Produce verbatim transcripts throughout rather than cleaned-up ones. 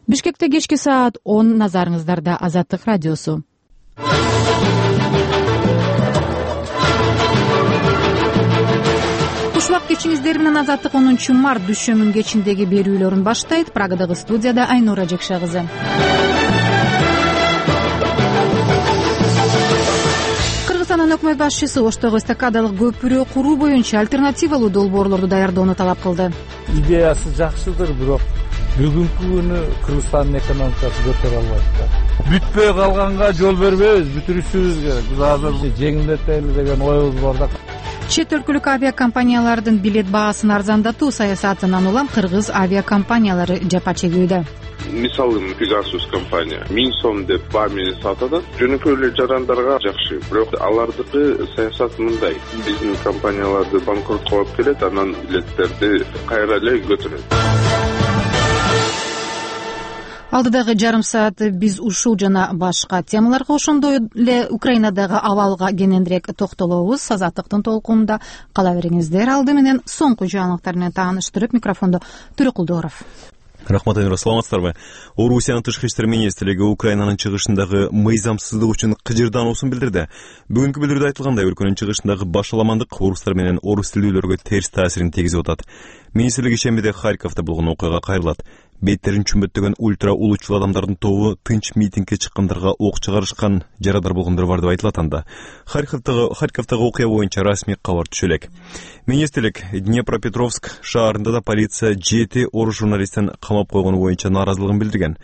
Бишкекте кечки саат он, назарыңыздарда Азаттык радиосу. Кушбак кечиңиздер менен Азаттык онунчу март дүшөмүн кечиндеги берүүлөрүн баштайт. Прагадагы студияда Айнура Жекше кызы. Кыргызстандын өкмөт башчысы Оштогу эстакадалык көпүрө куруу боюнча альтернативалуу долбоорлорду даярдоону талап кылды. Идеясы жакшыдыр, бирок бүгүнкү күнү Кыргызстандын экономикасы көтөрө албайт да. Бүтпөй калганга жол бербейбиз, бүтүрүшүбүз керек. Биз азыр жеңилдетели деген оюбуз бар да. Чет өлкөлүк авиакомпаниялардын билет баасын арзандатуу саясатынан улам кыргыз авиакомпаниялары жапа чегүүдө. Мисалы Pegasus компания миң сом деп баа менен сатат. Жөнөкөй эле жарандарга жакшы, бирок алардыкы саясат мындай: биздин компанияларды банкротко алып келет, анан билеттерди кайра эле көтөрөт. Алдыдагы жарым саат биз ушул жана башка темаларга, ошондой эле Украинадагы абалга кененирээк токтолобуз. Азаттыктын толкунунда кала бериңиздер. Алды менен соңку жаңылыктар менен тааныштырып, микрофондо Төрөкул Дооров. Рахмат, Айнура, саламатсыздарбы? Орусиянын тышкы иштер министрлиги Украинанын чыгышындагы мыйзамсыздык үчүн кыжырдаануусун билдирди. Бүгүнкү билдирүүдө айтылгандай, өлкөнүн чыгышындагы башаламандык орустар менен орус тилдүүлөргө терс таасирин тийгизип атат. Министрлик ишембиде Харьковдо болгон окуяга кайрылат. Беттерин чүмбөттөгөн ультра улуучул адамдардын тобу тынч митингге чыккандарга ок чыгарышкан, жарадар болгондор бар деп айтылат анда. Харьковдогу Харьковдогу окуя боюнча расмий кабар түшө элек. Министрлик Днепропетровск шаарында да полиция жети орус журналистин камап койгону боюнча нааразылыгын билдирген.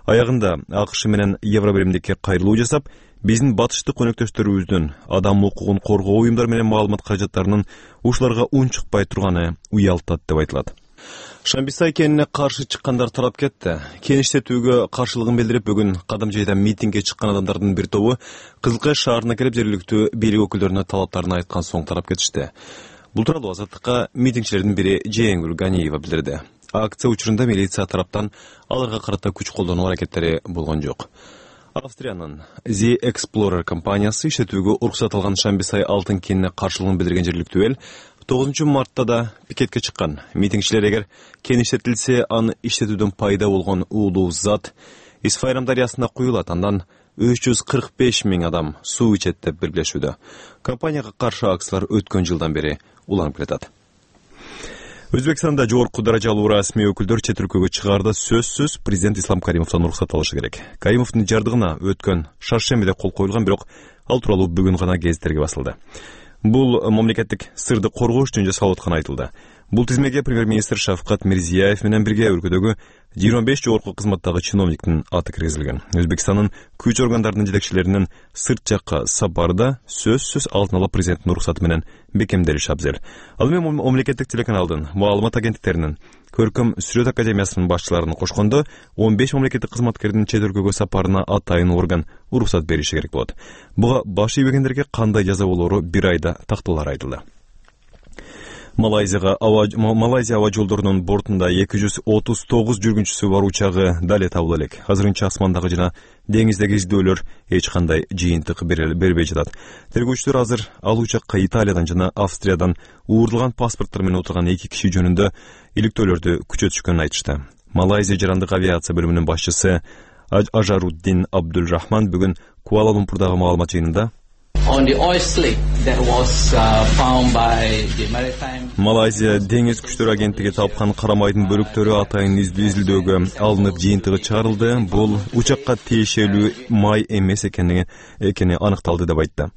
Аягында АКШ менен Евробиримдикке кайрылуу жасап, биздин батыштык өнөктөштөрүбүздүн адам укугун коргоо уюмдар менен маалымат каражаттарынын ушуларга унчукпай турганы уялтат деп айтылат. Шамбисай кенине каршы чыккандар тарап кетти. Кеништетүүгө каршылыгын билдирип, бүгүн Кадам жайда митингге чыккан адамдардын бир тобу Кызылкая шаарына келип, жергиликтүү бийлик өкүлдөрүнө талаптарын айткан соң тарап кетишти. Бул тууралуу Азаттыкка митингчилердин бири Жээңгүл Ганиева билдирди. Акция учурунда милиция тараптан аларга карата күч колдонуу аракеттери болгон жок. Австриянын The Explorer компаниясы иштетүүгө уруксат алган Шамбисай алтын кенине каршылыгын билдирген жергиликтүү эл тогузунчу мартта да пикетке чыккан. Митингчилер эгер кен иштетилсе, аны иштетүүдөн пайда болгон уулуу зат Исфайрам дарыясына куюлат, андан үч жүз кырк беш миң адам суу ичет деп белгилешүүдө. Компанияга каршы акциялар өткөн жылдан бери уланып келатат. Өзбекстанда жогорку даражалуу расмий өкүлдөр чет өлкөгө чыгаарда сөзсүз президент Ислам Каримовдон уруксат алышы керек. Каримовдун жардыгына өткөн шаршембиде кол коюлган, бирок ал тууралуу бүгүн гана гезиттерге басылды. Бул мамлекеттик сырды коргош үчүн жасалып атканы айтылды. Бул тизмеге премьер-министр Шавкат Мирзияев менен бирге өлкөдөгү жыйырма беш жогорку кызматтагы чиновниктин аты киргизилген. Өзбекстандын күч органдарынын жетекчилеринин сырт жакка сапарда сөзсүз алтын ала президенттин уруксаты менен бекемделиши абзел. Ал эми мамлекеттик телеканалдын, маалымат агенттиктеринин, Көркөм Сүрөт академиясынын башчыларын кошкондо он беш мамлекеттик кызматкердин чет өлкөгө сапарына атайын орган уруксат бериши керек болот. Буга баш ийбегендерге кандай жаза болоору бир айда тактылар айтылды. Малайзияга аба Малайзия аба жолдорунун бортунда эки жүз отуз тогуз жүргүнчүсү бар учагы дале табыла элек. Азырынча асмандагы жана деңиздеги издөөлөр эч кандай жыйынтык бербей жатат. Тергөөчүлөр азыр ал учакка Италиядан жана Австриядан уурдалган паспорттор менен отурган эки киши жөнүндө иликтөөлөрдү күчөтүшкөнүн айтышты. Малайзия жарандык авиация бөлүмүнүн башчысы Ажаруддин Абдулрахман бүгүн Куала-Лумпурдагы маалымат жыйынында Малайзия деңиз күчтөрү агенттиги тапкан карамайдын бөлүктөрү атайын изилдөөгө алынып жыйынтыгы чыгарылды. Бул учакка тиешелүү май эмес экени экени аныкталды деп айтты.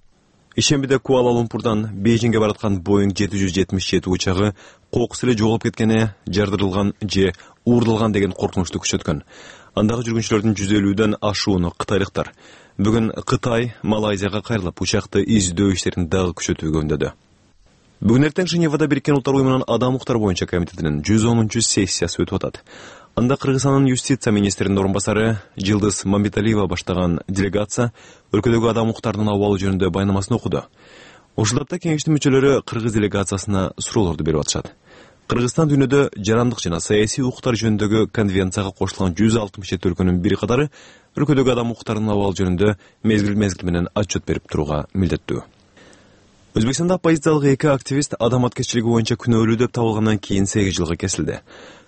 Ишембиде Куала-Лумпурдан Бейжиңге бараткан Боинг жети жүз жетимиш жети учагы кокус эле жоголуп кеткени, жардырылган же уурдалган деген коркунучту күчөткөн. Андагы жүргүнчүлөрдүн жүз элүүдөн ашууну кытайлыктар бүгүн Кытай Малайзияга кайрылып, учакты издөө иштерин дагы күчөтүүгө үндөдү. Бүгүн эртең Женевада Бириккен Улуттар уюмунун адам укуктары боюнча комитетинин жүз онунчу сессиясы өтүп атат. Анда Кыргызстандын юстиция министринин орун басары Жылдыз Мамбеталиева баштаган делегация өлкөдөгү адам укуктарынын абалы жөнүндө баянамасын окуду. Ушул тапта кеңештин мүчөлөрү кыргыз делегациясына суроолорду берип атышат. Кыргызстан дүйнөдө жарандык жана саясий укуктар жөнүндөгү конвенцияга кошулган жүз алтымыш жети өлкөнүн бири катары өлкөдөгү адам укуктарынын абалы жөнүндө мезгил-мезгил менен отчет берип турууга милдеттүү. Өзбекстанда оппозициялык эки активист адам аткечилиги боюнча күнөөлүү деп табылгандан кийин сегиз жылга кесилди.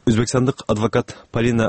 Өзбекстандык адвокат Полина